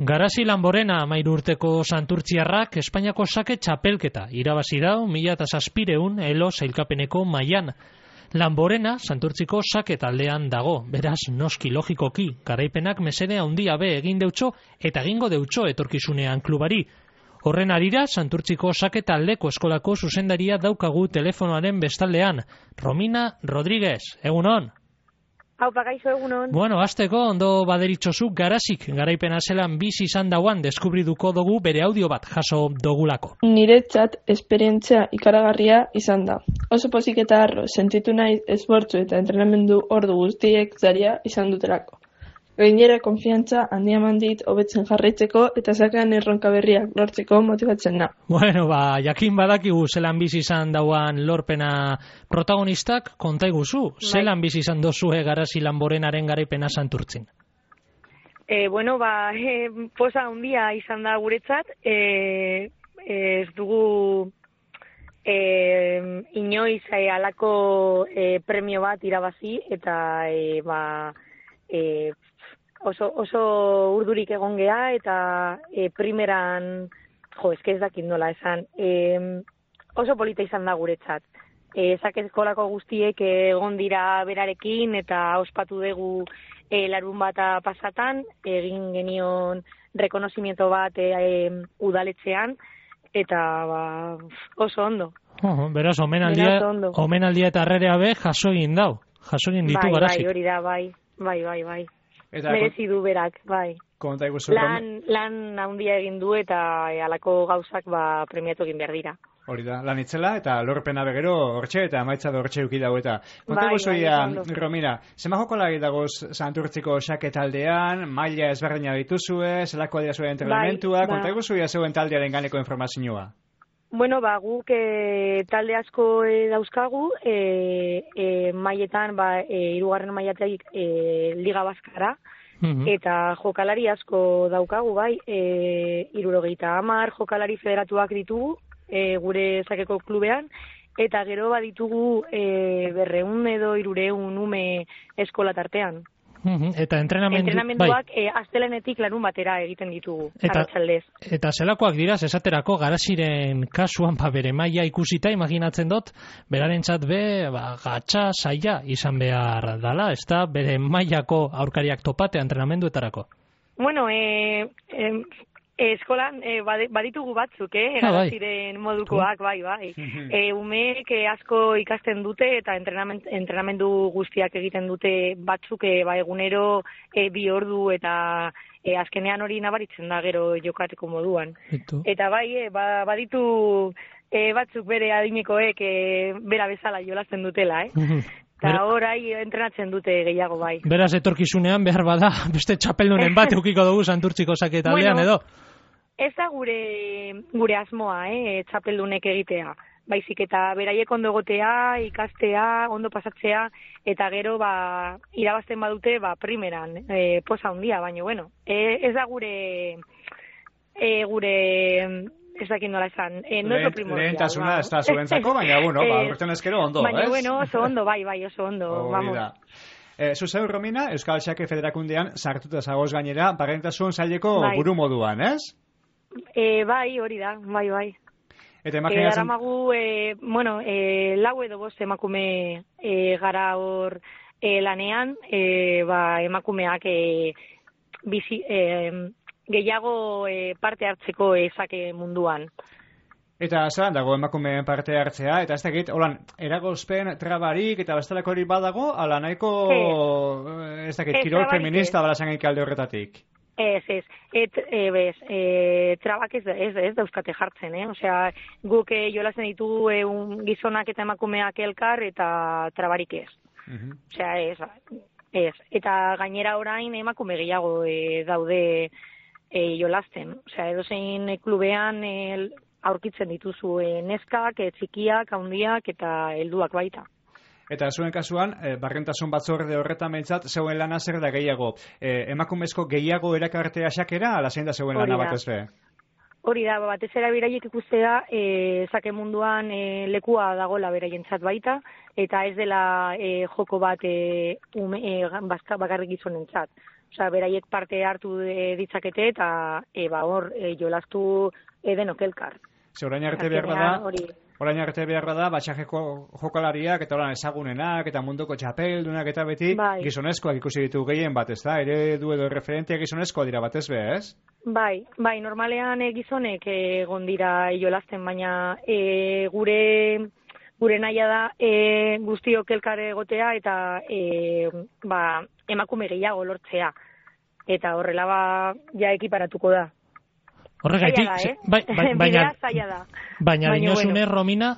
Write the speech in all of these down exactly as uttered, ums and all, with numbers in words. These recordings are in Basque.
Garasi Lanborena amairu urteko santurtziarrak Espainiako sake txapelketa irabazi dau mila eta zazpireun elo sailkapeneko mailan. Lanborena santurtziko sake taldean dago, beraz noski logikoki, garaipenak mesede handia be egin deutxo eta egingo deutxo etorkizunean klubari. Horren arira, santurtziko sake taldeko eskolako zuzendaria daukagu telefonoaren bestaldean. Romina Rodríguez, egunon? Hau, pagaixo egunon. Bueno, azteko ondo baderitzozu garasik garaipena zelan bizi izan dauan deskubriduko dugu bere audio bat jaso dogulako. Niretzat esperientzia ikaragarria izan da. Oso pozik eta harro sentitu nahi esfortzu eta entrenamendu ordu guztiek zaria izan dutelako. Gainera konfiantza handia mandit hobetzen jarraitzeko eta sakean erronka berriak lortzeko motibatzen da. Bueno, ba, jakin badakigu zelan bizi izan dauan lorpena protagonistak, konta iguzu, zelan bizi izan dozue Garasi Lanborenaren garaipena santurtzin? E, bueno, ba, e, posa handia izan da guretzat, e, ez dugu e, inoiz e, alako e, premio bat irabazi eta e, ba, e, Oso, oso urdurik egon gea eta e, primeran, jo, eske ez dakit nola esan, e, oso polita izan da guretzat. E, Zakezkolako guztiek egon dira berarekin eta ospatu dugu e, larun bata pasatan, egin genion rekonozimiento bat e, e, udaletzean, eta ba, oso ondo. Oh, beraz, omenaldia, omenaldia eta arrerea be jaso egin dau, jaso egin ditu bai, Garasik. Bai, hori da, bai, bai, bai, bai. Eta merezi du berak, bai. Iguzu, lan, lan handia egin du eta e, alako gauzak ba, premiatu egin behar dira. Hori da, lan itzela eta lorpena begero hortxe eta amaitza da hortxe uki dago eta. Konta bai, guzuia, bai, Romina, zema jokolari dagoz santurtziko sake taldean, maila ezberdina dituzue, zelako adira zuen entrenamentua, bai, konta guzuia zeuen taldearen ganeko informazioa? Bueno, ba, guk e, talde asko e, dauzkagu, e, e, mailetan, ba, e, irugarren mailateik e, Liga Baskara, mm-hmm. eta jokalari asko daukagu, bai, e, irurogeita hamar jokalari federatuak ditugu, e, gure zakeko klubean, eta gero baditugu e, berreun edo irureun ume eskola tartean. Mm-hmm. Eta entrenamendu, entrenamenduak bai. e, astelenetik larun batera egiten ditugu, eta, arratsaldez. Eta zelakoak dira, esaterako Garasiren kasuan ba, bere maila ikusita, imaginatzen dut, berarentzat be, ba, gatsa saia izan behar dala, ez da, bere mailako aurkariak topatea entrenamenduetarako. Bueno, e, e, eskolan e, baditugu batzuk, eh, ah, Garasiren bai. modukoak, bai, bai. e, umeek asko ikasten dute eta entrenament, entrenamendu guztiak egiten dute batzuk e, ba, egunero e, bi ordu eta e, azkenean hori nabaritzen da gero jokateko moduan. Eto. Eta bai, e, ba, baditu e, batzuk bere adinekoek e, bera bezala jolasten dutela, eh? Eta horai entrenatzen dute gehiago, bai. Beraz, etorkizunean behar bada, beste txapeldunen bat eukiko dugu santurtziko sake taldean, bueno, edo? Ez da gure, gure asmoa, eh, txapeldunek egitea. Baizik eta beraiek ondo egotea, ikastea, ondo pasatzea, eta gero ba, irabazten badute ba, primeran, e, posa handia, baina bueno, e, ez da gure, e, gure, ez dakit nola esan, e, no Lehen, lehentasuna ez da zuentzako, baina bueno, ba, urten ezkero ondo, baina, ez? Baina bueno, oso ondo, bai, bai, oso ondo, oh, vamos. Eh, Zuzeu, Romina, Euskal Xake Federakundean sartuta zagoz gainera, barrentasun zaileko bai. Buru moduan, ez? E, bai, hori da, bai, bai. Eta imaginatzen... E, aramagu, e, bueno, e, lau edo bost emakume e, gara hor e, lanean, e, ba, emakumeak e, bizi, e, gehiago e, parte hartzeko ezake munduan. Eta zelan dago emakumeen parte hartzea, eta ez dakit, holan, eragozpen trabarik eta bestelako hori badago, ala nahiko, ez dakit, kirol feminista balazangaik alde horretatik. Ez, ez, et, e, bez, e, trabak ez, ez, ez dauzkate jartzen, eh? Osea, guk e, jolazen ditugu e, un, gizonak eta emakumeak elkar eta trabarik ez. Uh-huh. Osea, ez, ez. Eta gainera orain emakume gehiago e, daude e, jolasten. Osea, edozein klubean e, aurkitzen dituzu e, neskak, e, txikiak, handiak eta helduak baita. Eta zuen kasuan, e, barrentasun batzorde horretan behintzat, zeuen lana zer da gehiago? E, emakumezko gehiago erakartea xakera, ala zein da zeuen lana batez be? Hori da, batez era beraiek ikustea, e, zake munduan e, lekua dagola beraientzat baita, eta ez dela e, joko bat e, ume, e, bakarrik gizonentzat. Osea, beraiek parte hartu e, ditzakete eta e, ba, hor e, jolastu e, denok elkar. Ze orain arte behar da, orain arte behar da, batxajeko jokalariak eta orain ezagunenak eta munduko txapeldunak eta beti bai. Gizonezkoak ikusi ditu gehien bat, ez da? Ere du edo referentia gizonezkoa dira batez be, ez? Bai, bai, normalean e, gizonek egon dira jolasten, baina e, gure gure nahia da e, guztiok elkar egotea eta e, ba, emakume gehiago lortzea. Eta horrela ba, ja ekiparatuko da. Horregaitik, eh? bai, bai, baina, da. baina dinosune, bueno. Romina,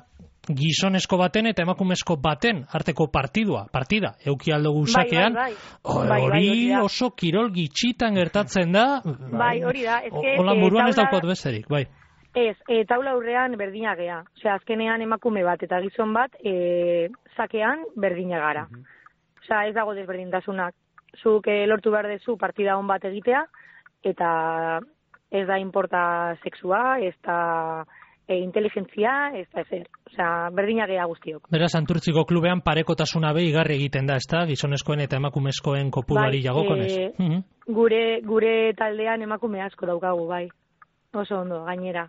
gizonezko baten eta emakumezko baten arteko partidua, partida, euki aldo guzakean, bai, bai, bai. hori bai, bai, oso kirol gitxitan gertatzen da, bai, hori da, eske, hola buruan e, ez daukot besterik, bai. Ez, e, taula aurrean berdina gea, osea, azkenean emakume bat eta gizon bat, e, zakean berdina gara. Uh -huh. Osea, ez dago desberdintasunak. Zuk e, lortu behar dezu partida hon bat egitea, eta ez da importa sexua, ez da e, inteligentzia, ez da ezer. Osea, berdina gea guztiok. Beraz, Santurtziko klubean parekotasuna be igarri egiten da, ez da? Gizonezkoen eta emakumezkoen kopuruari bai, jagokonez. E, uh -huh. gure, gure taldean emakume asko daukagu, bai. Oso ondo, gainera.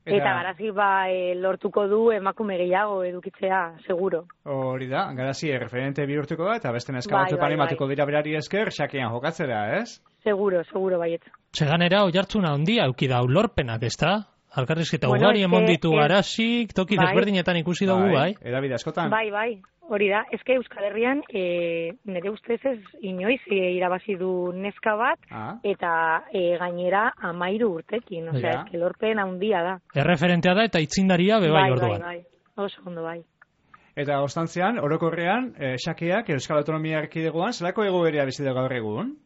Eta, eta Garazi ba, e, lortuko du emakume gehiago edukitzea, seguro. Hori da, Garazi referente bihurtuko da, eta beste neska batzu animatuko dira berari esker, xakean jokatzera, ez? Seguro, seguro, baiet. Seganera, oihartzuna handia, euki da, lorpenak, ez da? Alkarrizketa bueno, ugari emon ditu Garazik, toki bai, desberdinetan ikusi dugu, bai? Edabide askotan. Bai, bai, hori da. Ezke Euskal Herrian, e, nire ustez ez inoiz e, irabazi du neska bat, ah. eta e, gainera amairu urtekin, osea, ja. Ezke lorpen handia da. Erreferentea da eta itzindaria bebai bai, orduan. Bai, bai, oso ondo bai. Eta ostantzean, orokorrean, e, xakeak Euskal Autonomia Erkidegoan, zelako egoerea bizi da gaur egun?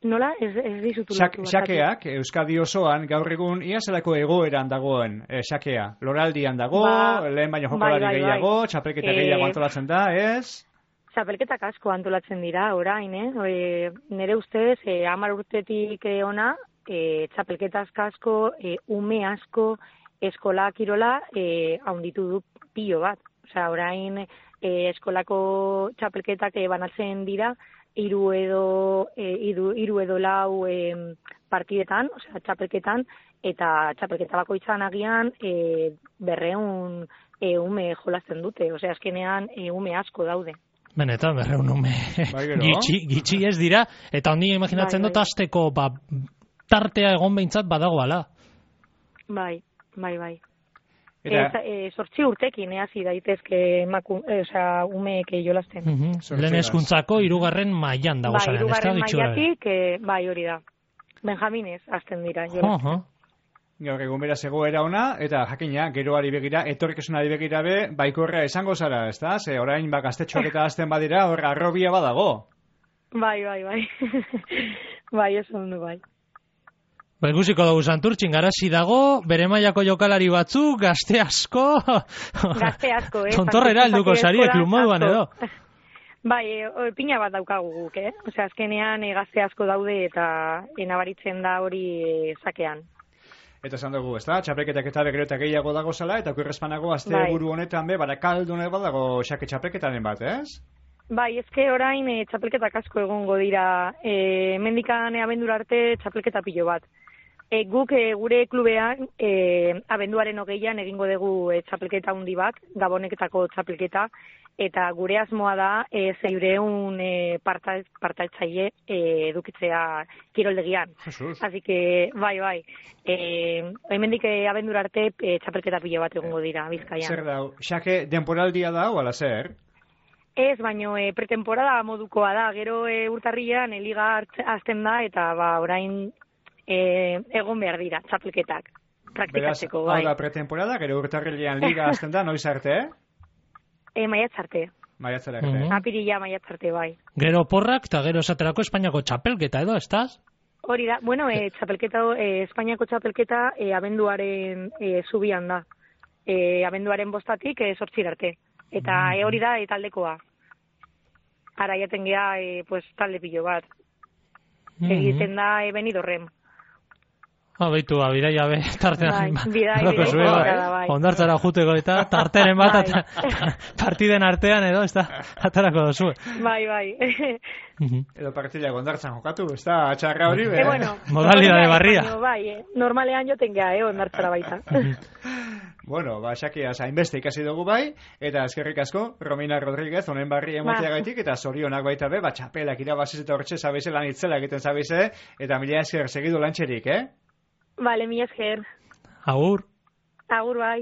Nola? Ez, ez dizutu Xak, xakeak, Euskadi osoan, gaur egun, ia zelako egoeran dagoen e, xakea? Loraldian dago, ba, lehen baino jokalari bai, bai, gehiago, bai. Txapelketa e... gehiago antolatzen da, ez? Txapelketak asko antolatzen dira, orain, eh? E, nire ustez, e, hamar urtetik ona, e, txapelketa asko, e, ume asko, eskola kirola, e, haunditu du pilo bat. Osea, orain, e, eskolako txapelketak e, banatzen dira, hiru edo e, hiru, hiru edo lau e, partidetan, osea, txapelketan, eta txapelketa bakoitzan agian e, berreun e, ume jolasten dute, osea, azkenean e, ume asko daude. Benetan, berreun ume gitxi, gitxi ez dira, eta ondi imaginatzen bai, dut azteko ba, tartea egon behintzat badagoala. Bai, bai, bai. Eta e, sortzi urtekin hasi daitezke emaku, e, osea, umeek jolasten. Uh -huh. Lehen hezkuntzako hirugarren mailan dago bai, zaren, ez da? Hirugarren mailatik, e, bai, hori da. Benjaminez hasten dira jolasten. Uh -huh. Gaur egun beraz egoera ona, eta jakina, geroari begira, etorkizunari begira be, baikorra esango zara, ez da? Ze orain ba gaztetxoak eta hasten badira, hor arrobia badago. Bai, bai, bai. Bai, ez ondo, bai. Ba, ikusiko dugu Santurtzin, Garazi dago, bere mailako jokalari batzuk, gazte asko... Gazte asko, eh? Tontorrera helduko zariek, lumoduan edo. Bai, e, pina bat daukagu guk, eh? Osea, azkenean e, gazte asko daude eta e, nabaritzen da hori e, zakean. Eta esan dugu, ez da? Txapelketak eta begero eta gehiago dago zela, eta okurrezpanago azte bai. Buru honetan be, barakaldune bat dago xake txapelketaren bat, ez? Bai, ezke orain e, txapelketak asko egongo dira. E, mendikan e, abendura arte txapelketa pilo bat. E, guk e, gure klubean e, abenduaren hogeian egingo dugu e, txapelketa handi bat, Gaboneketako txapelketa, eta gure asmoa da e, zeireun e, partaitzaile e, edukitzea kiroldegian. Jesus. Así que, bai, bai, e, hemendik e, abendura arte e, txapelketa pilo bat egongo dira, Bizkaian. Zer dau, xake denporaldia da, o ala zer? Ez, baino e, pretemporada modukoa da, gero e, urtarrilean e, liga azten da, eta ba, orain... E, egon behar dira, txapelketak, praktikatzeko, bai. Beraz, hau da pretemporada, gero urtarrilean liga azten da, noiz arte, eh? E, maiatz arte. Maiatz arte. Mm -hmm. Apirila maiatz arte, bai. Gero porrak, eta gero esaterako Espainiako txapelketa, edo, estaz? Hori da, bueno, e, txapelketa, e, Espainiako txapelketa e, abenduaren e, zubian da. E, abenduaren bostatik e, sortzir arte. Eta mm -hmm. e, hori da, e, taldekoa. Ara jaten geha, e, pues, talde pilo bat. Mm -hmm. Egiten da, e, Benidorren. Ha, baitu, ba, bidaia be, tartean. Bai, bidaia be, ondartzara juteko eta tarteren bat, bai. Partiden artean edo, ez da, atarako dozu. Bai, bai. Edo partila ondartzan jokatu, ez da, atxarra hori, be. E, bueno, modalidade barria. Bai, eh? Normalean joten geha, eh, ondartzara baita. Bueno, ba, Xakia, hainbeste ikasi dugu bai, eta eskerrik asko, Romina Rodríguez, honen barri emotiagaitik, eta zorionak baita be, ba, txapelak irabaziz eta hortxe zabeize lan itzela egiten zabeize, eta mila esker segidu lantxerik, eh? Vale, mila esker. Agur. Agur, bai.